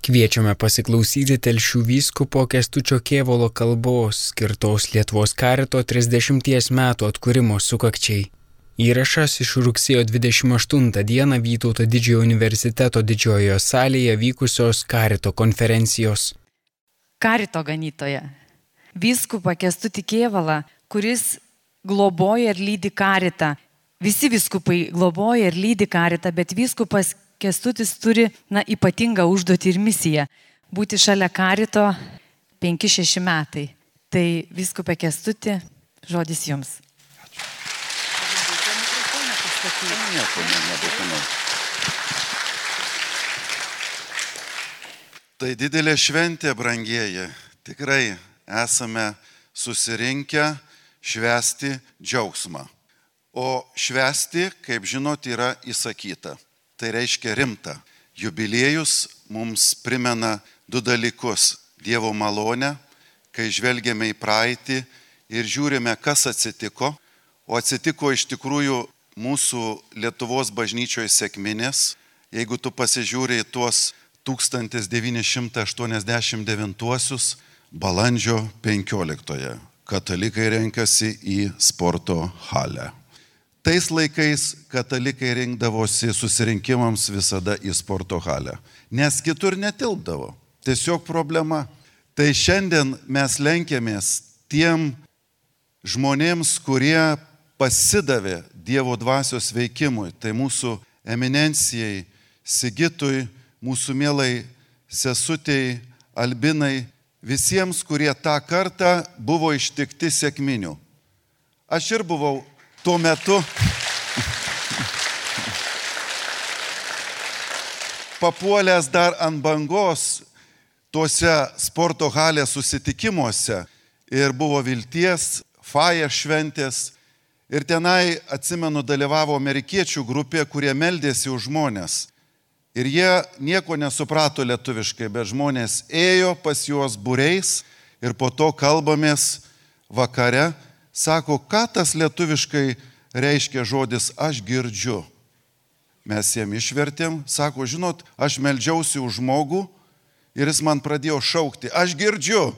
Kviečiame pasiklausyti Telšių vyskupo Kęstučio Kėvalo kalbos skirtos Lietuvos karito 30 metų atkūrimo sukakčiai. Įrašas iš rugsėjo 28 dieną Vytauto Didžiojo universiteto didžiojoje salėje vykusios karito konferencijos. Karito ganytoja. Vyskupą Kęstutį Kėvalą, kuris globoja ir lydi karitą. Visi vyskupai globoja ir lydi karitą, bet vyskupas Kęstutis turi ypatingą užduotį ir misiją – būti šalia karito 5-6 metai. Tai vyskupė Kęstuti, žodis jums. Tai didelė šventė, brangieji. Tikrai esame susirinkę švęsti džiaugsmą. O švęsti, kaip žinot, yra įsakyta. Tai reiškia rimta. Jubiliejus mums primena du dalykus. Dievo malonę, kai žvelgiame į praeitį ir žiūrime, kas atsitiko. O atsitiko iš tikrųjų mūsų Lietuvos bažnyčioje sekminės. Jeigu tu pasižiūrė į tuos 1989 balandžio 15. Katalikai renkasi į sporto halę. Tais laikais katalikai rinkdavosi susirinkimams visada į sporto halę, nes kitur netilpdavo. Tiesiog problema. Tai šiandien mes lenkiamės tiem žmonėms, kurie pasidavė Dievo dvasios veikimui. Tai mūsų eminencijai, Sigitui, mūsų mielai sesutei, Albinai, visiems, kurie tą kartą buvo ištikti sekminių. Aš ir buvau tuo metu papuolęs dar ant bangos tuose sporto halės susitikimuose ir buvo Vilties, Faja šventės ir tenai, atsimenu, dalyvavo amerikiečių grupė, kurie meldėsi už žmonės. Ir jie nieko nesuprato lietuviškai, bet žmonės ėjo pas juos būriais ir po to kalbamės vakare. Sako, ką tas lietuviškai reiškia žodis aš girdžiu. Mes jiem išvertėm, sako, žinot, aš meldžiausi už žmogų ir jis man pradėjo šaukti, aš girdžiu.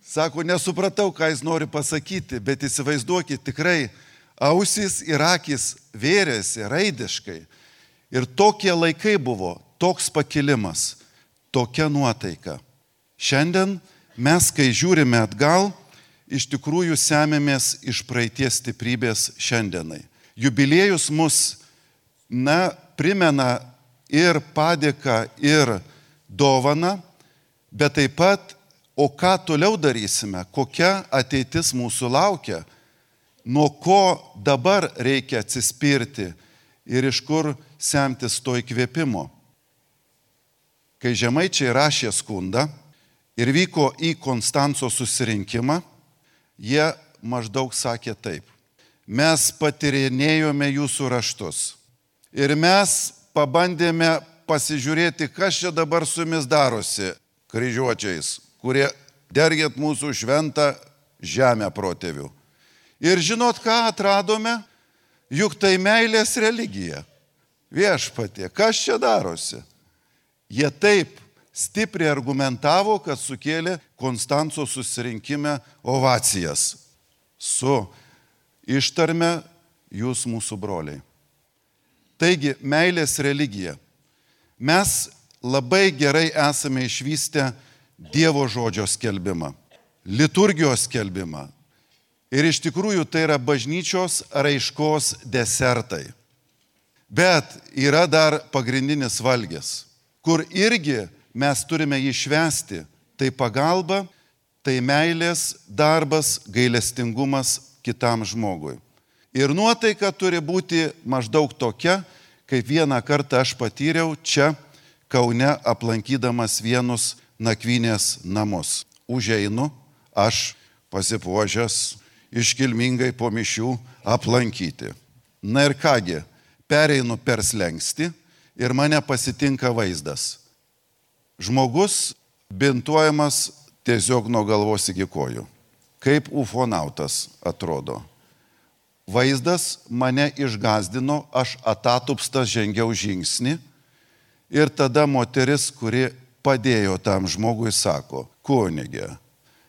Sako, nesupratau, ką jis nori pasakyti, bet įsivaizduokit, tikrai ausys ir akys vėrėsi raidiškai. Ir tokie laikai buvo, toks pakilimas, tokia nuotaika. Šiandien mes, kai žiūrime atgal, iš tikrųjų semėmės iš praeities stiprybės šiandienai. Jubiliejus mus, primena ir padėką, ir dovaną, bet taip pat, o ką toliau darysime, kokia ateitis mūsų laukia, nuo ko dabar reikia atsispirti ir iš kur semtis to įkvėpimo. Kai žemaičiai rašė skundą ir vyko į Konstanco susirinkimą, jie maždaug sakė taip. Mes patyrinėjome jūsų raštus ir mes pabandėme pasižiūrėti, kas čia dabar su jumis darosi, kryžiuočiais, kurie dergėt mūsų šventą žemę protėvių. Ir žinot, ką atradome? Juk tai meilės religija. Viešpatie, kas čia darosi? Jie taip stipriai argumentavo, kad sukėlė Konstanco susirinkime ovacijas su ištarme jūs mūsų broliai. Taigi, meilės religija. Mes labai gerai esame išvystę Dievo žodžio skelbimą, liturgijos skelbimą. Ir iš tikrųjų tai yra bažnyčios raiškos desertai. Bet yra dar pagrindinis valgis, kur irgi mes turime jį švęsti. Tai pagalba, tai meilės darbas, gailestingumas kitam žmogui. Ir nuotaika turi būti maždaug tokia, kaip vieną kartą aš patyriau čia Kaune aplankydamas vienus nakvynės namus. Užeinu, aš pasipuošęs, iškilmingai po mišių aplankyti. Na ir kągi, pereinu per slenkstį ir mane pasitinka vaizdas. Žmogus bintuojamas tiesiog nuo galvos iki kojų. Kaip ufonautas atrodo. Vaizdas mane išgazdino, aš atatupstas žengiau žingsnį ir tada moteris, kuri padėjo tam žmogui, sako, kunige,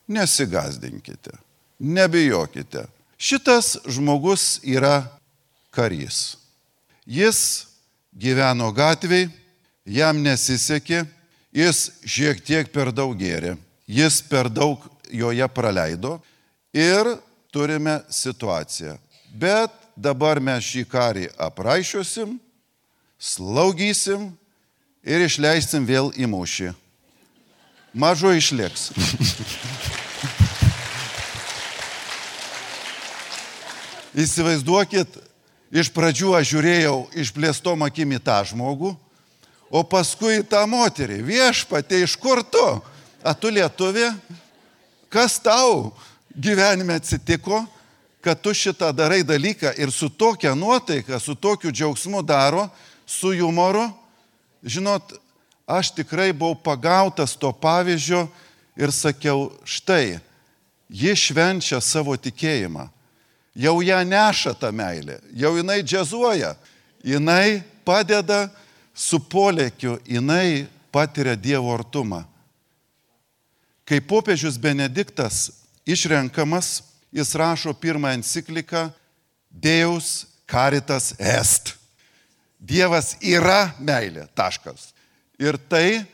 nesigazdinkite, nebijokite. Šitas žmogus yra karys. Jis gyveno gatvėj, jam nesisekė, jis šiek tiek per daug gėrė, jis per daug joje praleido ir turime situaciją. Bet dabar mes šį karį apraišiosim, slaugysim ir išleisim vėl į mūšį. Mažo išliks. Įsivaizduokit, iš pradžių aš žiūrėjau išplėstom akim į tą žmogų, o paskui į tą moterį. Viešpatie, iš kur tu? A tu lietuvė? Kas tau gyvenime atsitiko, kad tu šitą darai dalyką ir su tokia nuotaika, su tokiu džiaugsmu daro, su jumoru? Žinot, aš tikrai buvau pagautas to pavyzdžio ir sakiau, štai, ji švenčia savo tikėjimą. Jau ją neša tą meilę, jau jinai džiazuoja, jinai padeda su polėkiu, jinai patiria Dievo artumą. Kai popiežius Benediktas išrenkamas, jis rašo pirmą encikliką Deus Caritas Est. Dievas yra meilė, taškas. Ir tai,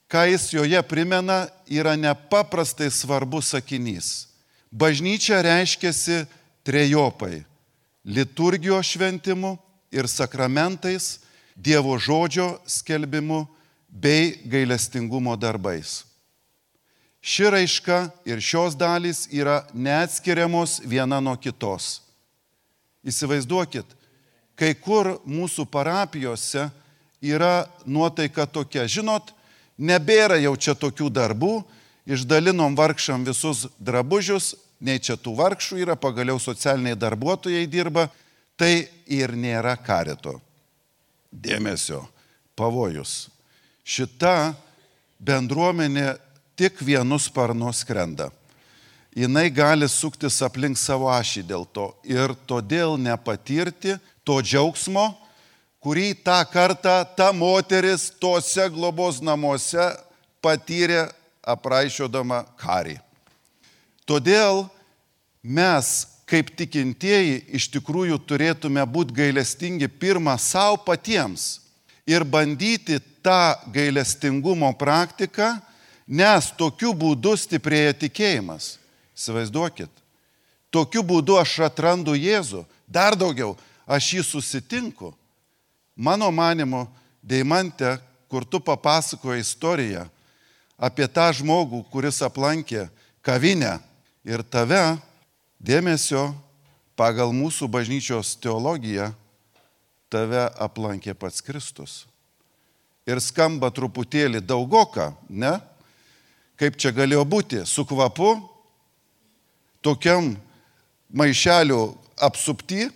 ką jis joje primena, yra nepaprastai svarbus sakinys. Bažnyčia reiškiasi trejopai - liturgijos šventimu ir sakramentais, Dievo žodžio skelbimu bei gailestingumo darbais. Ši raiška ir šios dalys yra neatskiriamos viena nuo kitos. Įsivaizduokit, kai kur mūsų parapijose yra nuotaika tokia, žinot, nebėra jau čia tokių darbų, išdalinom vargšam visus drabužius, nei čia tų vargšų yra, pagaliau socialiniai darbuotojai dirba, tai ir nėra karito. Dėmesio, pavojus. Šita bendruomenė tik vienu sparnu skrenda. Jinai gali suktis aplink savo ašį dėl to ir todėl nepatirti to džiaugsmo, kurį tą kartą ta moteris tose globos namuose patyrė apraišiodama karį. Todėl mes, kaip tikintieji, iš tikrųjų turėtume būti gailestingi pirmą savo patiems ir bandyti tą gailestingumo praktiką, nes tokiu būdu stiprėja tikėjimas. Įsivaizduokit, tokiu būdu aš atrandu Jėzų, dar daugiau, aš jį susitinku. Mano manimu, Deimante, kur tu papasakoji istoriją apie tą žmogų, kuris aplankė kavinę ir tave, dėmesio, pagal mūsų bažnyčios teologiją, tave aplankė pats Kristus. Ir skamba truputėlį daugoka, ne? Kaip čia galėjo būti? Su kvapu, tokiam maišeliu apsupty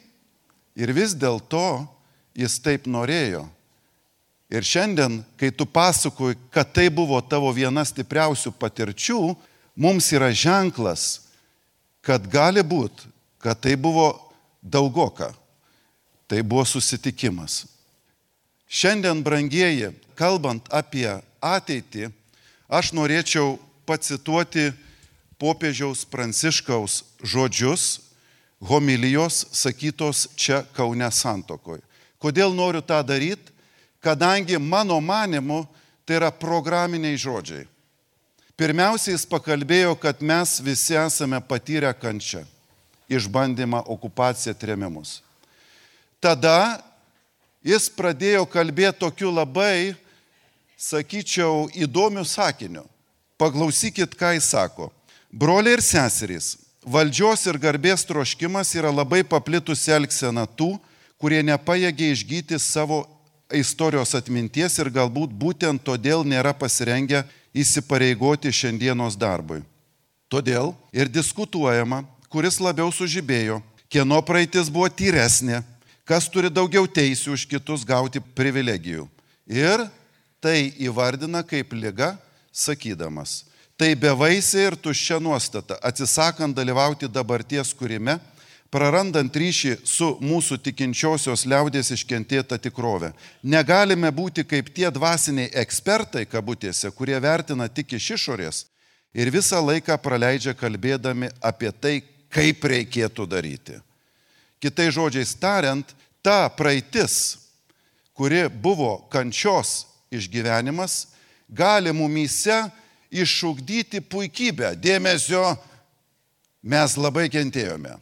ir vis dėlto jis taip norėjo. Ir šiandien, kai tu pasakoji, kad tai buvo tavo viena stipriausių patirčių, mums yra ženklas, kad gali būti, kad tai buvo daugoka. Tai buvo susitikimas. Šiandien, brangieji, kalbant apie ateitį, aš norėčiau pacituoti popiežiaus Pranciškaus žodžius, homilijos sakytos čia Kaune Santuokoje. Kodėl noriu tą daryti? Kadangi mano manimu tai yra programiniai žodžiai. Pirmiausia, jis pakalbėjo, kad mes visi esame patyrę kančią, išbandymą, okupaciją, trėmimus. Tada jis pradėjo kalbėti tokiu labai, sakyčiau, įdomiu sakiniu. Paklausykit, ką jis sako. Broliai ir seserys, valdžios ir garbės troškimas yra labai paplitusi elgsena tų, kurie nepajėgia išgyti savo istorijos atminties ir galbūt būtent todėl nėra pasirengę įsipareigoti šiandienos darbui. Todėl ir diskutuojama, kuris labiau sužibėjo, kieno praeitis buvo tyresnė, kas turi daugiau teisių už kitus gauti privilegijų. Ir tai įvardina kaip liga, sakydamas, tai bevaisė ir tuščia nuostata, atsisakant dalyvauti dabarties kūrime, prarandant ryšį su mūsų tikinčiosios liaudės iškentėta tikrove. Negalime būti kaip tie dvasiniai ekspertai, kabutėse, kurie vertina tik iš išorės ir visą laiką praleidžia kalbėdami apie tai, kaip reikėtų daryti. Kitai žodžiais tariant, ta praeitis, kuri buvo kančios išgyvenimas, gali mumyse išugdyti puikybę. Dėmesio, mes labai kentėjome.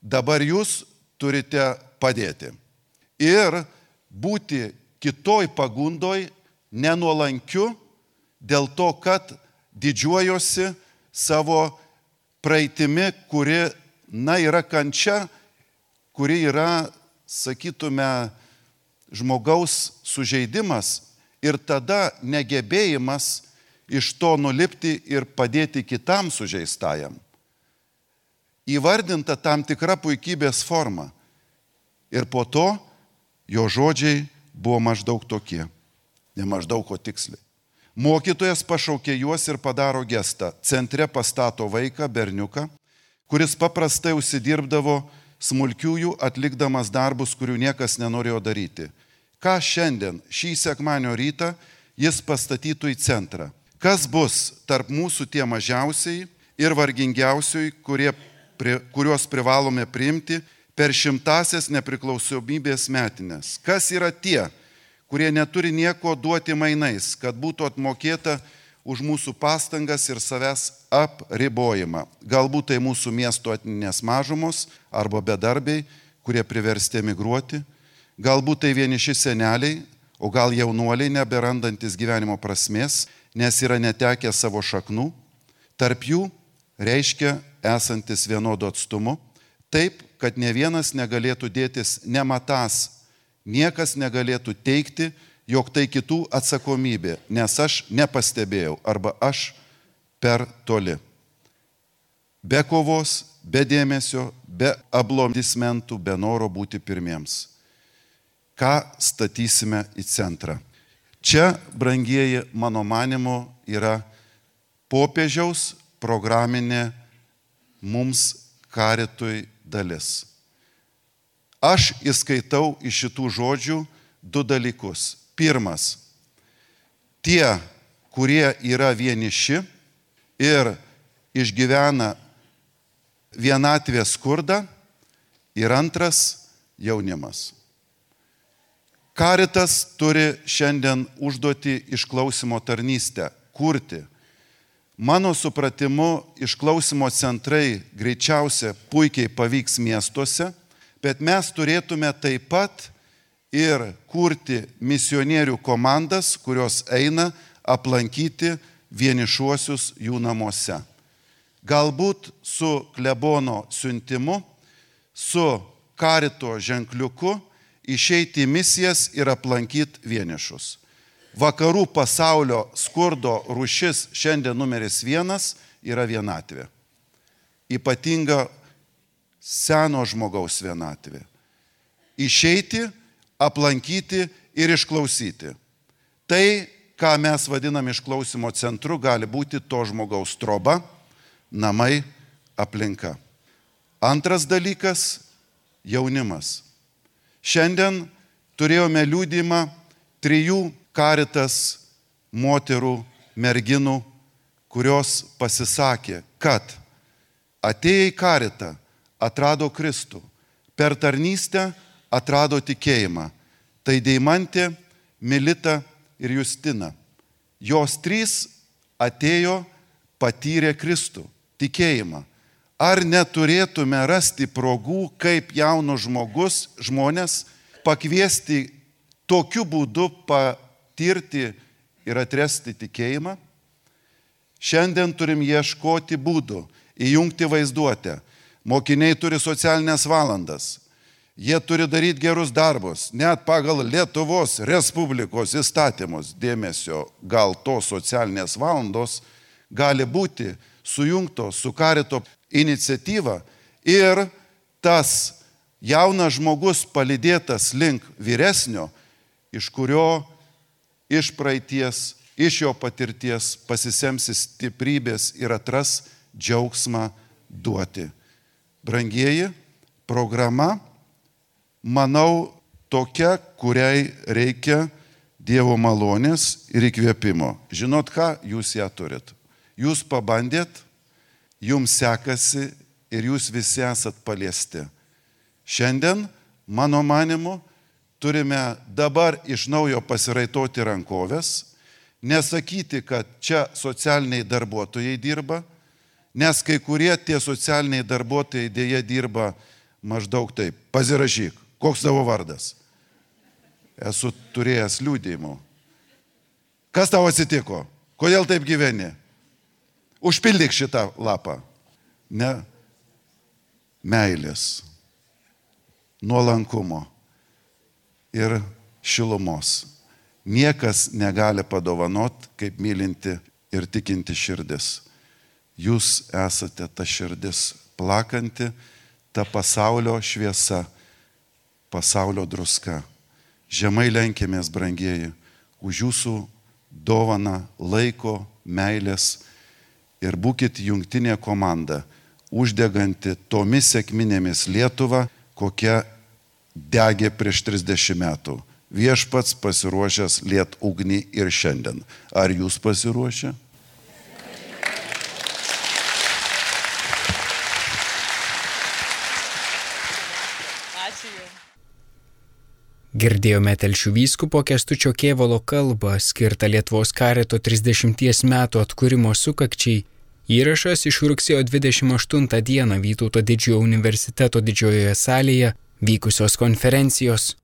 Dabar jūs turite padėti. Ir būti kitoj pagundoj nenuolankiu dėl to, kad didžiuojosi savo praeitimi, kuri, yra kančia, kuri yra, sakytume, žmogaus sužeidimas ir tada negebėjimas iš to nulipti ir padėti kitam sužeistajam. Įvardinta tam tikra puikybės forma. Ir po to jo žodžiai buvo maždaug tokie. Ne maždaug, o tiksliai. Mokytojas pašaukė juos ir padaro gestą. Centre pastato vaiką, berniuką, kuris paprastai užsidirbdavo smulkiųjų atlikdamas darbus, kurių niekas nenorėjo daryti. Ką šiandien, šį sekmadienio rytą, jis pastatytų į centrą? Kas bus tarp mūsų tie mažiausiai ir vargingiausiai, kuriuos privalome priimti per 100-asias nepriklausomybės metinės? Kas yra tie, kurie neturi nieko duoti mainais, kad būtų atmokėta už mūsų pastangas ir savęs apribojimą? Galbūt tai mūsų miesto etninės mažumos arba bedarbiai, kurie priversti emigruoti. Galbūt tai vieniši seneliai, o gal jaunuoliai neberandantis gyvenimo prasmės, nes yra netekę savo šaknų. Tarp jų reiškia esantis vienodu atstumu, taip, kad ne vienas negalėtų dėtis nematąs, niekas negalėtų teigti, jog tai kitų atsakomybė, nes aš nepastebėjau arba aš per toli. Be kovos, be dėmesio, be aplodismentų, be noro būti pirmiems. Ką statysime į centrą? Čia, brangieji, mano manimu, yra popiežiaus programinė mums karitui dalis. Aš įskaitau iš šitų žodžių 2 dalykus. Pirmas, tie, kurie yra vieniši ir išgyvena vienatvės skurdą, ir antras, jaunimas. Karitas turi šiandien užduoti išklausimo tarnystę, kurti. Mano supratimu, išklausimo centrai greičiausia puikiai pavyks miestuose, bet mes turėtume taip pat ir kurti misionierių komandas, kurios eina aplankyti vienišuosius jų namuose. Galbūt su klebono siuntimu, su karito ženkliuku išeiti į misijas ir aplankyti vienišus. Vakarų pasaulio skurdo rūšis šiandien numeris 1 yra vienatvė. Ypatinga seno žmogaus vienatvė. Išeiti, aplankyti ir išklausyti. Tai, ką mes vadinam išklausimo centru, gali būti to žmogaus troba, namai, aplinka. Antras dalykas - jaunimas. Šiandien turėjome liudijimą 3 karitas moterų, merginų, kurios pasisakė, kad atėję į karitą atrado Kristų, per tarnystę atrado tikėjimą. Tai Deimantė, Milita ir Justina. Jos 3 atėjo, patyrė Kristų, tikėjimą. Ar neturėtume rasti progų, kaip jaunus žmonės pakviesti tokiu būdu patirti ir atrasti tikėjimą? Šiandien turim ieškoti būdų, įjungti vaizduotę. Mokiniai turi socialinės valandas. Jie turi daryti gerus darbus, net pagal Lietuvos Respublikos įstatymus. Dėmesio, gal tos socialinės valandos gali būti sujungtos su karito iniciatyva ir tas jaunas žmogus palydėtas link vyresnio, iš kurio iš praeities, iš jo patirties pasisemsi stiprybės ir atras džiaugsmą duoti. Brangieji, programa, manau, tokia, kuriai reikia Dievo malonės ir įkvėpimo. Žinot ką, jūs ją turit. Jūs pabandėt, jums sekasi ir jūs visi esat paliesti. Šiandien, mano manimu, turime dabar iš naujo pasiraitoti rankovės, nesakyti, kad čia socialiniai darbuotojai dirba, nes kai kurie tie socialiniai darbuotojai dėja dirba maždaug taip. Pasirašyk, koks tavo vardas? Esu turėjęs liudijimų. Kas tau atsitiko? Kodėl taip gyveni? Užpildyk šitą lapą. Ne. Meilės, nuolankumo ir šilumos. Niekas negali padovanot, kaip mylinti ir tikinti širdis. Jūs esate ta širdis plakanti, ta pasaulio šviesa, pasaulio druska. Žemai lenkėmės, brangieji, už jūsų dovaną laiko, meilės ir būkit jungtinė komanda, uždeganti tomis sekminėmis Lietuvą, kokia degė prieš 30 metų. Viešpats pasiruošęs liet ugnį ir šiandien. Ar jūs pasiruošę? Girdėjome Telšių vyskupo Kęstučio Kėvalo kalbą skirtą Lietuvos karito 30 metų atkūrimo sukakčiai. Įrašas iš rugsėjo 28 dieną Vytauto Didžiojo universiteto didžiojoje salėje vykusios konferencijos.